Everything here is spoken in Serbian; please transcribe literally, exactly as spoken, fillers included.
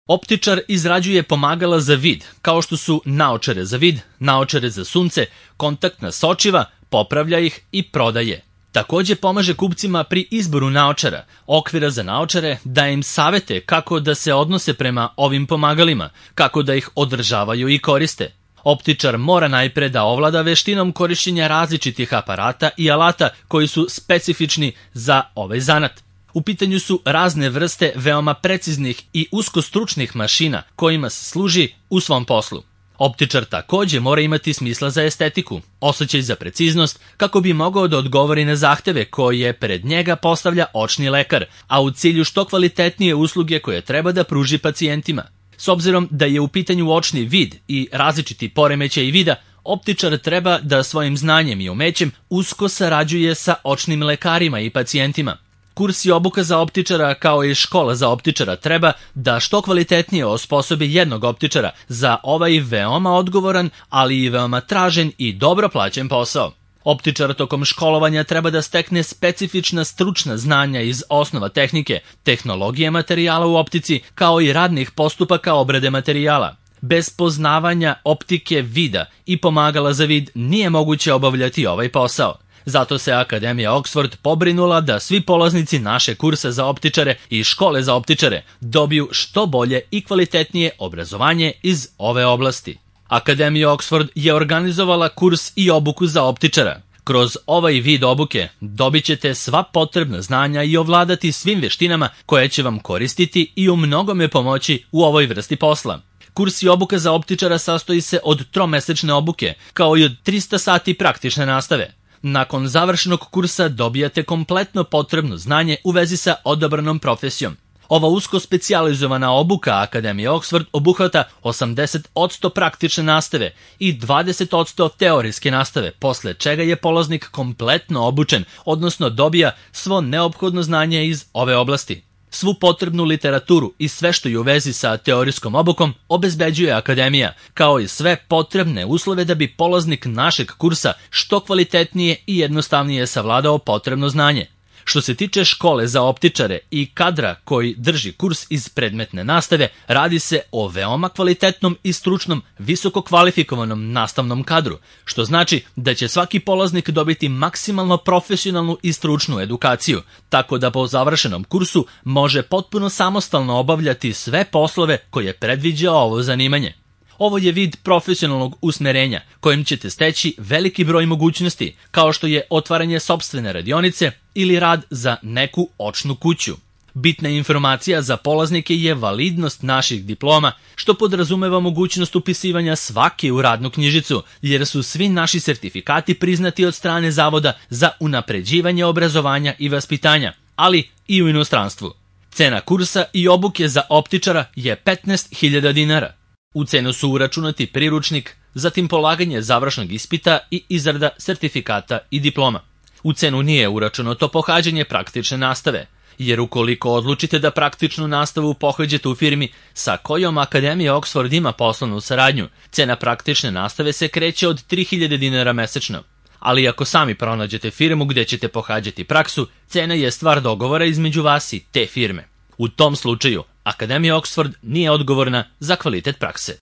Optičar izrađuje pomagala za vid, kao što su naočare za vid, naočare za sunce, kontaktna sočiva, popravlja ih i prodaje. Takođe pomaže kupcima pri izboru naočara, okvira za naočare, daje im savete kako da se odnose prema ovim pomagalima, kako da ih održavaju i koriste. Optičar mora najpre da ovlada veštinom korišćenja različitih aparata i alata koji su specifični za ovaj zanat. U pitanju su razne vrste veoma preciznih i uskostručnih mašina kojima se služi u svom poslu. Optičar takođe mora imati smisla za estetiku, osjećaj za preciznost, kako bi mogao da odgovori na zahteve koje pred njega postavlja očni lekar, a u cilju što kvalitetnije usluge koje treba da pruži pacijentima. S obzirom da je u pitanju očni vid i različiti poremećaji vida, optičar treba da svojim znanjem i umećem usko sarađuje sa očnim lekarima i pacijentima. Kurs i obuka za optičara kao i škola za optičara treba da što kvalitetnije osposobi jednog optičara za ovaj veoma odgovoran, ali i veoma tražen i dobro plaćen posao. Optičar tokom školovanja treba da stekne specifična stručna znanja iz osnova tehnike, tehnologije materijala u optici, kao i radnih postupaka obrade materijala. Bez poznavanja optike vida i pomagala za vid nije moguće obavljati ovaj posao. Zato se Akademija Oxford pobrinula da svi polaznici naše kursa za optičare i škole za optičare dobiju što bolje i kvalitetnije obrazovanje iz ove oblasti. Akademija Oxford je organizovala kurs i obuku za optičara. Kroz ovaj vid obuke dobit ćete sva potrebna znanja i ovladati svim veštinama koje će vam koristiti i u mnogome pomoći u ovoj vrsti posla. Kurs i obuka za optičara sastoji se od tromesečne obuke, kao i od trista sati praktične nastave. Nakon završenog kursa dobijate kompletno potrebno znanje u vezi sa odabranom profesijom. Ova usko specijalizovana obuka Akademije Oxford obuhvata osamdeset posto praktične nastave i dvadeset posto teorijske nastave, posle čega je polaznik kompletno obučen, odnosno dobija svo neophodno znanje iz ove oblasti. Svu potrebnu literaturu i sve što je u vezi sa teorijskom obukom obezbeđuje Akademija, kao i sve potrebne uslove da bi polaznik našeg kursa što kvalitetnije i jednostavnije savladao potrebno znanje. Što se tiče škole za optičare i kadra koji drži kurs iz predmetne nastave, radi se o veoma kvalitetnom i stručnom, visoko kvalifikovanom nastavnom kadru, što znači da će svaki polaznik dobiti maksimalno profesionalnu i stručnu edukaciju, tako da po završenom kursu može potpuno samostalno obavljati sve poslove koje predviđa ovo zanimanje. Ovo je vid profesionalnog usmerenja kojim ćete steći veliki broj mogućnosti, kao što je otvaranje sopstvene radionice ili rad za neku očnu kuću. Bitna informacija za polaznike je validnost naših diploma, što podrazumeva mogućnost upisivanja svake u radnu knjižicu, jer su svi naši sertifikati priznati od strane Zavoda za unapređivanje obrazovanja i vaspitanja, ali i u inostranstvu. Cena kursa i obuke za optičara je petnaest hiljada dinara. U cenu su uračunati priručnik, zatim polaganje završnog ispita i izrada sertifikata i diploma. U cenu nije uračunato pohađanje praktične nastave, jer ukoliko odlučite da praktičnu nastavu pohađate u firmi sa kojom Akademija Oxford ima poslovnu saradnju, cena praktične nastave se kreće od tri hiljade dinara mesečno. Ali ako sami pronađete firmu gde ćete pohađati praksu, cena je stvar dogovora između vas i te firme. U tom slučaju, Akademija Oxford nije odgovorna za kvalitet prakse.